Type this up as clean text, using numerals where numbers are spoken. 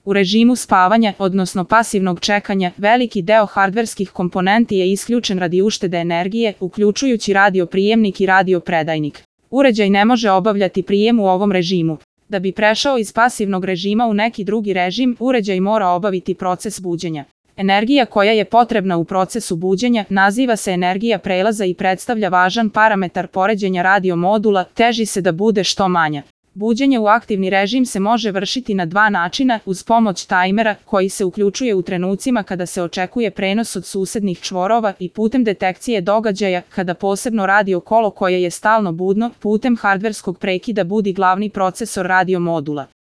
U režimu spavanja, odnosno pasivnog čekanja, veliki deo hardverskih komponenti je isključen radi uštede energije, uključujući radio prijemnik i radio predajnik. Uređaj ne može obavljati prijem u ovom režimu. Da bi prešao iz pasivnog režima u neki drugi režim, uređaj mora obaviti proces buđenja. Energija koja je potrebna u procesu buđenja naziva se energija prelaza i predstavlja važan parametar poređenja radio modula, teži se da bude što manja. Buđenje u aktivni režim se može vršiti na dva načina, uz pomoć tajmera, koji se uključuje u trenucima kada se očekuje prenos od susednih čvorova i putem detekcije događaja, kada posebno radio kolo koje je stalno budno, putem hardverskog prekida budi glavni procesor radio modula.